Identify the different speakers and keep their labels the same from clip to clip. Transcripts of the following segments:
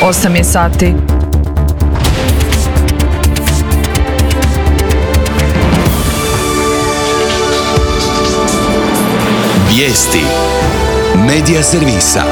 Speaker 1: 8 je sati.
Speaker 2: Vijesti Medija servisa.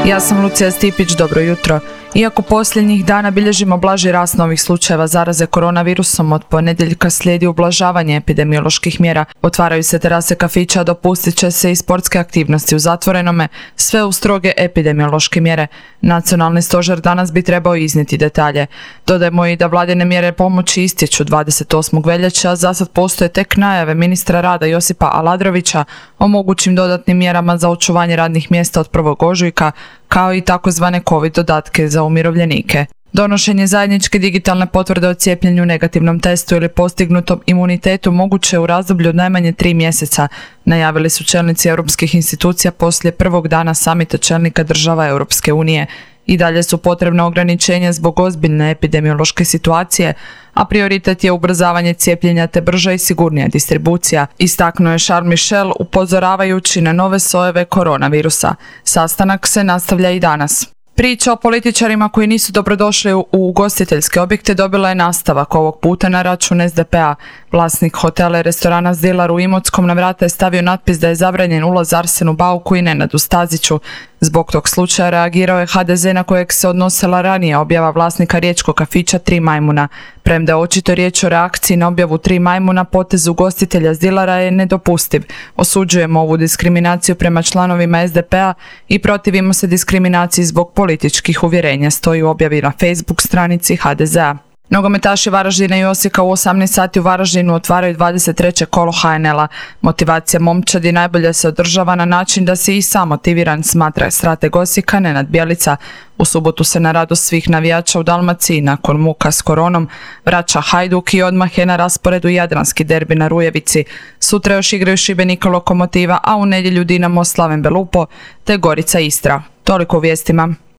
Speaker 1: Ja sam Lucija Stipić, dobro jutro. Iako posljednjih dana bilježimo blaži rast novih slučajeva zaraze koronavirusom, od ponedjeljka slijedi ublažavanje epidemioloških mjera. Otvaraju se terase kafića, dopustit će se i sportske aktivnosti u zatvorenome, sve u stroge epidemiološke mjere. Nacionalni stožer danas bi trebao iznijeti detalje. Dodajmo i da vladine mjere pomoći istječu 28. veljače, a zasad postoje tek najave ministra rada Josipa Aladrovića o mogućim dodatnim mjerama za očuvanje radnih mjesta od 1. ožujka, kao i takozvane COVID dodatke za umirovljenike. Donošenje zajedničke digitalne potvrde o cijepljenju, negativnom testu ili postignutom imunitetu moguće u razdoblju od najmanje 3 mjeseca, najavili su čelnici europskih institucija poslije prvog dana samita čelnika država Europske unije. I dalje su potrebna ograničenja zbog ozbiljne epidemiološke situacije, a prioritet je ubrzavanje cijepljenja te brža i sigurnija distribucija, istaknuo je Charles Michel upozoravajući na nove sojeve koronavirusa. Sastanak se nastavlja i danas. Priča o političarima koji nisu dobrodošli u ugostiteljske objekte dobila je nastavak, ovog puta na račun SDP-a. Vlasnik hotela i restorana Zdilar u Imotskom na vrata je stavio natpis da je zabranjen ulaz Arsenu Bauku i Nenadu Staziću. Zbog tog slučaja reagirao je HDZ na kojeg se odnosila ranije objava vlasnika riječkog kafića Tri majmuna. Premda je očito riječ o reakciji na objavu Tri majmuna, potez ugostitelja Zdilara je nedopustiv. Osuđujemo ovu diskriminaciju prema članovima SDP-a i protivimo se diskriminaciji zbog političkih uvjerenja, stoji u objavi na Facebook stranici HDZ-a. Nogometaši Varaždina i Osijeka u 18 sati u Varaždinu otvaraju 23. kolo HNL-a. Motivacija momčadi najbolje se održava na način da se i sam motiviran, smatra strateg Osijeka Nenad Bjelica. U subotu se na radost svih navijača u Dalmaciji nakon muka s koronom vraća Hajduk i odmah je na rasporedu jadranski derbi na Rujevici. Sutra još igraju Šibenik Lokomotiva, a u nedjelju Dinamo Slaven Belupo te Gorica Istra. Toliko u vijestima.